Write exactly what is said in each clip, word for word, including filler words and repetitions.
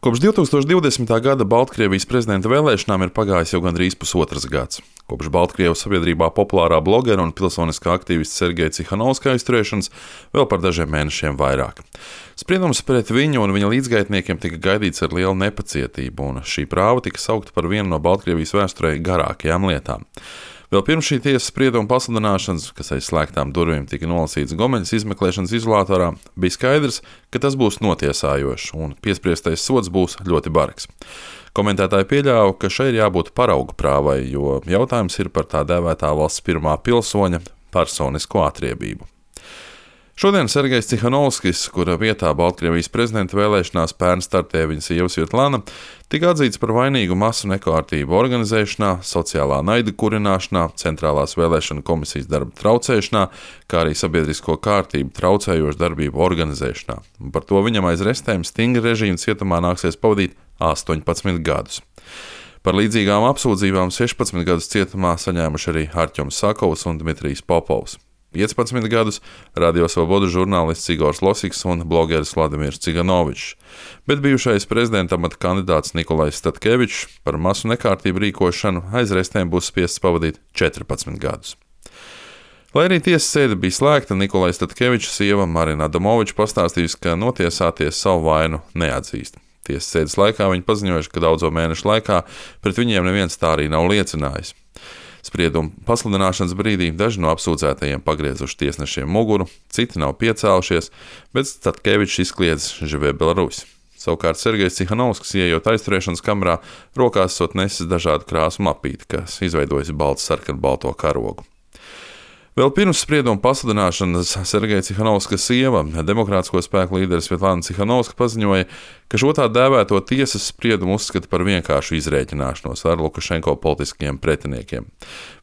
Kopš divi tūkstoši divdesmitā gada Baltkrievijas prezidenta vēlēšanām ir pagājis jau gandrīz pusotrs gads. Kopš Baltkrievijas sabiedrībā populārā blogera un pilsoniskā aktīvista Sergeja Cihanovska aizturēšanas vēl par dažiem mēnešiem vairāk. Spriedums pret viņu un viņa līdzgaitniekiem tika gaidīts ar lielu nepacietību, un šī prāva tika saukta par vienu no Baltkrievijas vēsturē garākajām lietām. Vēl pirms šī tiesas sprieduma pasludināšanas, kas aiz slēgtām durvīm tika nolasīts Gomeļas izmeklēšanas izolātorā, bija skaidrs, ka tas būs notiesājošs un piespriestais sods būs ļoti bargs. Komentētāji pieļāva, ka šai ir jābūt paraugu prāvai, jo jautājums ir par tā dēvētā valsts pirmā pilsoņa personisko atriebību. Šodien Sergejs Cihanovskis, kura vietā Baltkrievijas prezidenta vēlēšanās pērn startēja viņa sieva Svetlana, tika atzīts par vainīgu masu nekārtību organizēšanā, sociālā naida kurināšanā, centrālās vēlēšana komisijas darba traucēšanā, kā arī sabiedrisko kārtību traucējošu darbību organizēšanā. Un par to viņam aiz restēm stingra režīma cietumā nāksies pavadīt astoņpadsmit gadus. Par līdzīgām apsūdzībām sešpadsmit gadus cietumā saņēmuši arī Arķoms Sakovs un Dmitrijs Popovs. piecpadsmit gadus Radio Svoboda žurnālists Igors Losiks un blogeris Vladimirs Ciganovičs, bet bijušais prezidenta amata kandidāts Nikolais Statkevičs par masu nekārtību rīkošanu aiz restēm būs spiests pavadīt četrpadsmit gadus. Lai arī tiesas sēde bija slēgta, Nikolais Statkevičs sieva Marina Adamoviča pastāstījusi, ka notiesāties savu vainu neatzīst. Tiesas sēdes laikā viņi paziņojuši, ka daudzo mēnešu laikā pret viņiem neviens tā arī nav liecinājis. Sprieduma pasludināšanas brīdī daži no apsūdzētajiem pagriezuši tiesnešiem muguru, citi nav piecēlušies, bet Statkevičs izkliedz Živē Belarusi. Savukārt Sergejs Cihanovskis, ieejot aizturēšanas kamerā, rokās esot nesis dažādu krāsu mapīti, kas izveidojusi baltu sarkanbalto karogu. Vēl pirms sprieduma pasludināšanas Sergeja Cihanovska sieva, demokrātisko spēku līderis Svetlana Cihanovska, paziņoja, ka šo tā dēvēto tiesas spriedumu uzskata par vienkāršu izrēķināšanos ar Lukašenko politiskiem pretiniekiem.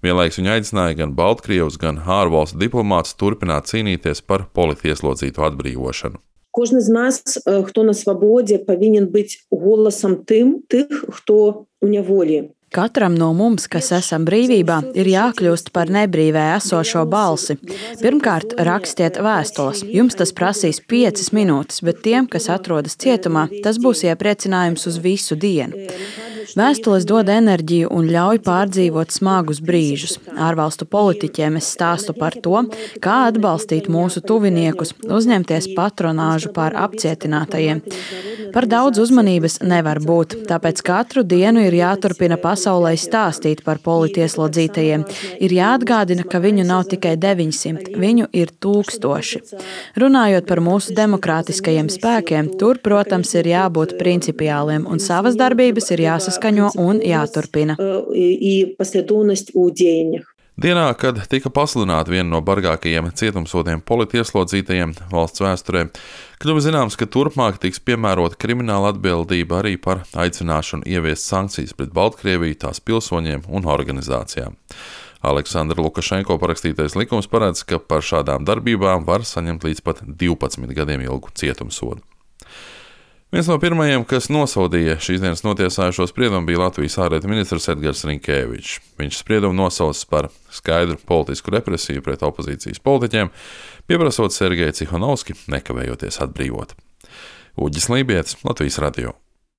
Vienlaikus viņa aicināja gan Baltkrievus, gan ārvalstu diplomātus turpināt cīnīties par politieslodzīto atbrīvošanu. Кожен з нас, хто на свободі, повинен бути голосом тим, тих, хто у неволі. Katram no mums, kas esam brīvībā, ir jākļūst par nebrīvē esošo balsi. Pirmkārt, rakstiet vēstules. Jums tas prasīs piecas minūtes, bet tiem, kas atrodas cietumā, tas būs iepriecinājums uz visu dienu. Vēstules dod enerģiju un ļauj pārdzīvot smagus brīžus. Ārvalstu politiķiem es stāstu par to, kā atbalstīt mūsu tuviniekus, uzņemties patronāžu pār apcietinātajiem. Par daudz uzmanības nevar būt, tāpēc katru dienu ir jāturpina pasaulē stāstīt par politieslodzītajiem. Ir jāatgādina, ka viņu nav tikai deviņsimt, viņu ir tūkstoši. Runājot par mūsu demokrātiskajiem spēkiem, tur, protams, ir jābūt principiāliem un savas darbības ir jāsaskaņo un jāturpina. Dienā, kad tika pasludināta viena no bargākajiem cietumsodiem politieslodzītajiem valsts vēsturē, kļuva zināms, ka turpmāk tiks piemērota krimināla atbildība arī par aicināšanu ieviest sankcijas pret Baltkrieviju, tās pilsoņiem un organizācijām. Aleksandra Lukašenko parakstītais likums paredz, ka par šādām darbībām var saņemt līdz pat divpadsmit gadiem ilgu cietumsodu. Viens no pirmajiem, kas nosodīja šīs dienas notiesājušo spriedumu, bija Latvijas ārlietu ministrs Edgars Rinkēvičs. Viņš spriedumu nosaucis par skaidru politisku represiju pret opozīcijas politiķiem, pieprasot Sergeju Cihanovski nekavējoties atbrīvot. Uģis Lībietis, Latvijas radio.